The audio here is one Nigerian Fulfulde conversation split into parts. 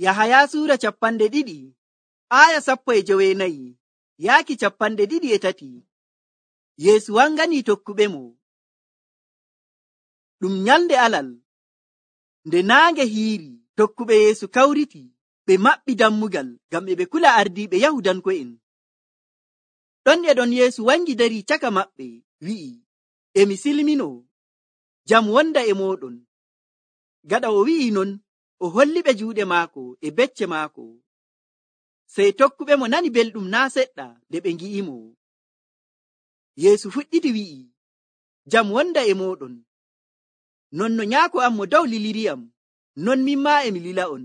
Yahaya suura 2 aya 14 yaaki 23. Yeesu wanganii tokkuɓemo. Ɗum nyalnde alal, nde naange hiiri, tokkuɓe Yeesu kawriti, ɓe maɓɓi dammugal ngam ɓe kula ardiiɓe Yahudanko'en. Ɗon e ɗon Yeesu wangi dari caka maɓɓe, wi'i, emi silmino, jam wonda e mooɗon. Gaɗa o wi'i non, o holliɓe juuɗe maako e becce maako. Sey tokkuɓemo nani belɗum naa seɗɗa nde ɓe ngi'imo. Yeesu fuɗɗiti wi'i, jam wonda e mooɗon. Non no nyaako am mo dow liliriyam, non min maa emi lila'on.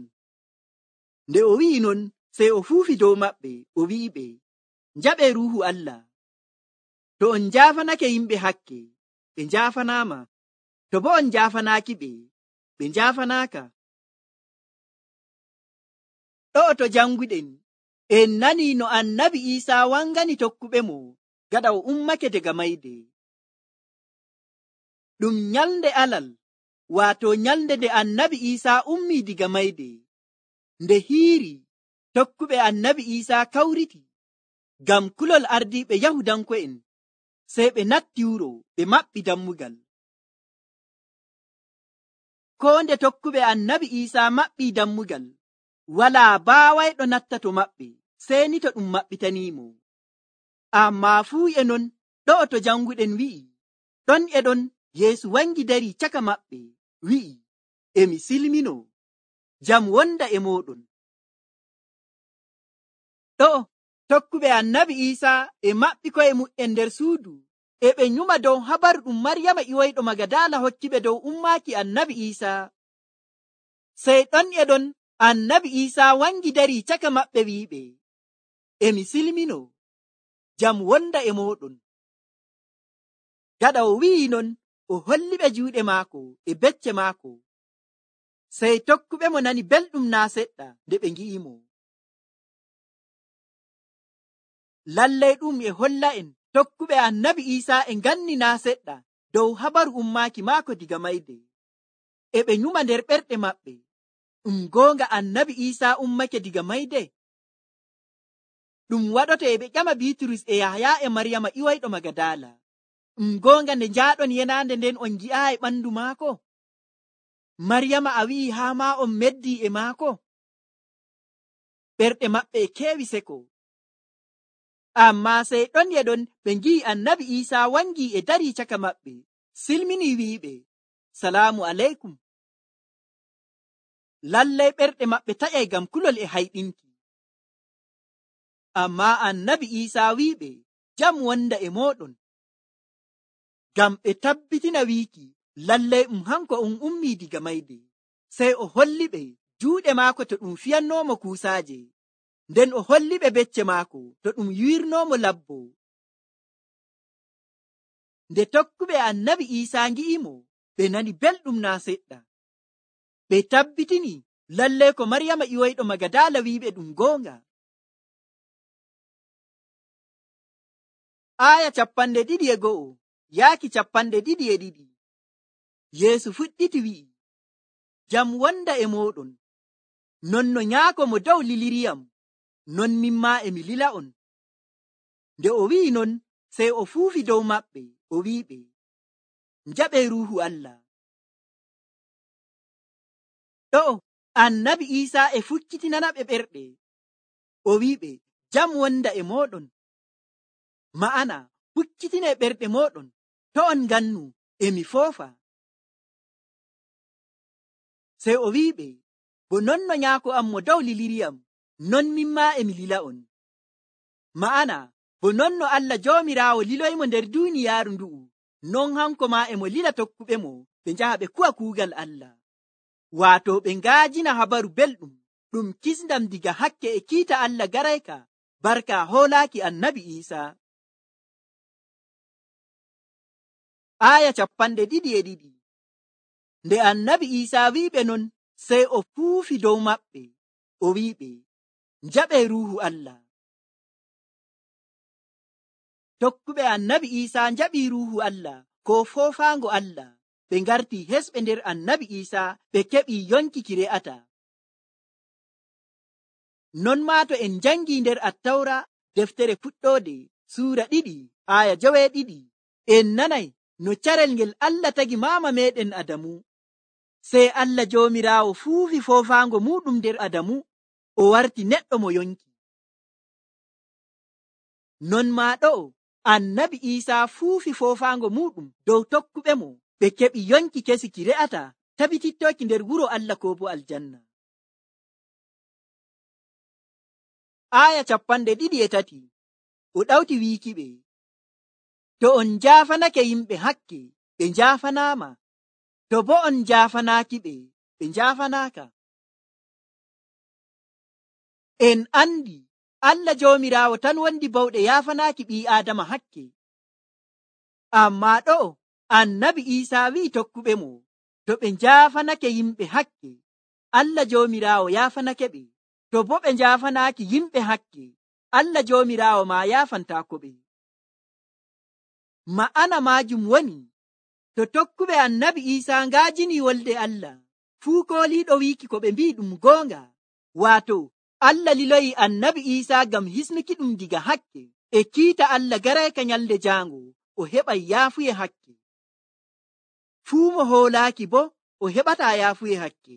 Nde o wi'i non, sey o fuufi dow maɓɓe, o wi'iɓe, njaɓee Ruuhu Allah. To on njaafanake yimɓe hakke, ɓe njaafanaama. To bo on njaafanaaki ɓe, ɓe njaafanaaka. Ɗo'o to janguɗen, en nani no Annabi Iisaa wangani tokkuɓemo gaɗa o ummake daga mayde. Ɗum nyalnde alal, waato nyalnde nde Annabi Iisaa ummii diga mayde. Nde hiiri, tokkuɓe Annabi Iisaa kawriti ngam kulol ardiiɓe Yahudanko'en, sey ɓe natti wuro ɓe maɓɓi dammugal. Koo nde tokkuɓe Annabi Iisaa maɓɓii dammugal, walaa baawayɗo natta to maɓɓe, sey ni to ɗum maɓɓitaniimo. Ammaa fuu e non, ɗo'o to janguɗen wi'i, ɗon e ɗon Yeesu wangi dari caka maɓɓe, wi'i, emi silmino, jam wonda e mooɗon. Ɗo'o tokkuɓe Annabi Iisaa e maɓɓi ko'e mu'en nder suudu, e ɓe nyuma dow habaru ɗum Maryama iwoyɗo Magadaala hokkiɓe dow ummaaki Annabi Iisaa. Sey ɗon e ɗon Annabi Iisaa wangi dari caka maɓɓe wi'iɓe, emi silmino, jam wonda e mooɗon. Gaɗa o wi'i non, o holliɓe juuɗe maako e becce maako. Sey tokkuɓemo nani belɗum naa seɗɗa nde ɓe ngi'imo. Lallay ɗum e holla'en tokkuɓe Annabi Iisaa e nganni naa seɗɗa dow habaru ummaaki maako diga mayde. E ɓe nyuma nder ɓerɗe maɓɓe, ɗum goonga Annabi Iisaa ummake diga mayde? Ɗum waɗoto e ɓe ƴama Biiturus e Yahaya e Maryama iwoyɗo Magadaala. Ɗum goonga nde njaaɗon yenaande nden on ngi'aayi ɓandu maako? Maryama a wi'i haa maa on meddii e maako? Ɓerɗe maɓɓe e keewi seko. Ammaa sey ɗon e ɗon ɓe ngi'i Annabi Iisaa wangi e darii caka maɓɓe, silmini wi'iɓe, salaamu aleykum. Lallay ɓerɗe maɓɓe taƴay ngam kulol e hayɗinki. Ammaa Annabi Iisaa wi'iɓe, jam wonda e mooɗon. Ngam ɓe tabbitina wiiki, lallay hanko on ummii diga mayde. Sey o holliɓe juuɗe maako to ɗum fiyannoomo kuusaaje, nden o holliɓe becce maako to ɗum yiwirnoomo labbo. Nde tokkuɓe Annabi Iisaa ngi'imo, ɓe nani belɗum naa seɗɗa. Ɓe tabbitini lallay ko Maryama iwoyɗo Magadaala wi'iɓe ɗum goonga. Aya 21 yaaki 22. Yeesu fuɗɗiti wi'i, jam wonda e mooɗon. Non no nyaako mo dow liliriyam, non min maa emi lila'on. Nde o wi'i non, sey o fuufi dow maɓɓe, o wi'iɓe, njaɓee Ruuhu Allah. Ɗo'o Annabi Iisaa e fukkitinanaɓe ɓerɗe, o wi'iɓe, jam wonda e mooɗon. Ma'ana, fukkitine ɓerɗe mooɗon, to on ngannu emi foofa. Sey o wi'iɓe, bo non no nyaako am mo dow liliriyam, non min maa emi lila'on. Ma'ana, bo non no Allah Joomiraawo liloymo nder duuniyaaru ndu'u, non hanko maa emo lila tokkuɓemo ɓe njaha ɓe kuwa kuugal Allah. Waato ɓe ngaajina habaru belɗum ɗum kisndam diga hakke e kiita Allah garayka barka hoolaaki Annabi Iisaa. Aya 22. Nde Annabi Iisaa wi'iɓe non, sey o fuufi dow maɓɓe, o wi'iɓe, njaɓee Ruuhu Allah. Tokkuɓe Annabi Iisaa njaɓii Ruuhu Allah ko foofaango Allah. Ɓe ngartii hesɓe nder Annabi Iisaa, ɓe keɓii yonki ki re'ata. Non maa to en jangi nder Attawra deftere fuɗɗode suura 2 aya 12 en nanay no carel ngel Allah tagi maama meɗen Adamu. Sey Allah Joomiraawo fuufi foofaango muɗum nder Adamu, o warti neɗɗo mo yonki. Non maa ɗo'o Annabi Iisaa fuufi foofaango muɗum dow tokkuɓe mo, ɓe keɓi yonki kesi ki re'ata tabitittoki nder wuro Allah ko bo aljanna. Aya 23 o ɗawti wiikiɓe, to on njaafanake yimɓe hakke, ɓe njaafanaama, to bo on njaafanaaki ɓe, ɓe njaafanaaka. En andi Allah Joomiraawo tan wondi bawɗe yaafanaaki ɓii Aadama hakke. Ammaa ɗo'o Annabi Iisaa wi'i tokkuɓe mo, to ɓe njaafanake yimɓe hakke, Allah Joomiraawo yaafanake ɓe. To bo ɓe njaafanaaki yimɓe hakke, Allah Joomiraawo maa yaafantaako ɓe. Ma'ana maajum woni, to tokkuɓe Annabi Iisaa ngaajini wolde Allah, fuu kooliiɗo wiiki ko ɓe mbi'i ɗum goonga, waato Allah liloyi Annabi Iisaa ngam hisnuki ɗum diga hakke, e kiita Allah garayka nyalde jaango o heɓay yaafuye hakke. Fuu mo hoolaaki bo o heɓataa yaafuye hakke.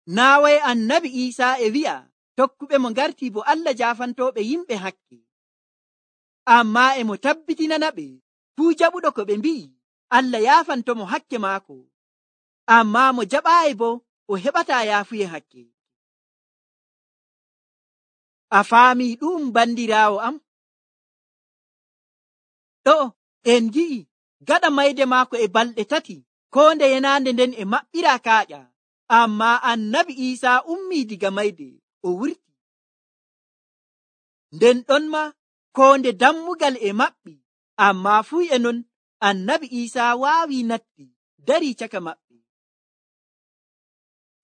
Naaway Annabi Iisaa e wi'a tokkuɓe mo ngartii bo Allah jaafantooɓe yimɓe hakke. Ammaa e mo tabbitinana ɓe fuu jaɓuɗo ko ɓe mbi'i Allah yaafantomo hakke maako. Ammaa mo jaɓaayi bo o heɓataa yaafuye hakke. A faamii ɗum bandiraawo am? Ɗo en gi'i gaɗa mayde maako e balɗe 3 koo nde yenaande nden e maɓɓiraa kaaƴa. Ammaa Annabi Iisaa ummii diga mayde o wurti. Nden ɗon ma koo nde dammugal e maɓɓi, ammaa fuu e non Annabi Iisaa waawi natti darii caka maɓɓe.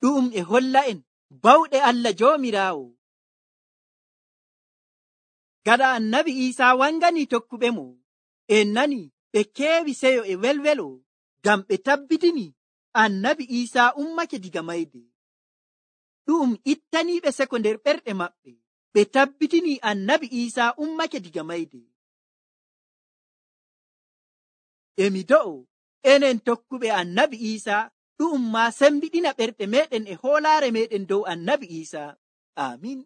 Ɗum e holla en bawɗe Allah Joomiraawo. Gaɗa Annabi Iisaa wangani tokkuɓe mo, en nani ɓe keewi seyo e welwelo ngam ɓe tabbitini Annabi Iisaa ummake diga mayde. Ɗum ittaniiɓe seko nder ɓerɗe maɓɓe, ɓe tabbitini Annabi Iisaa ummake diga mayde. Emi do'o enen tokkuɓe Annabi Iisaa ɗum maa sembiɗina ɓerɗe meɗen e hoolaare meɗen dow Annabi Iisaa. Amin.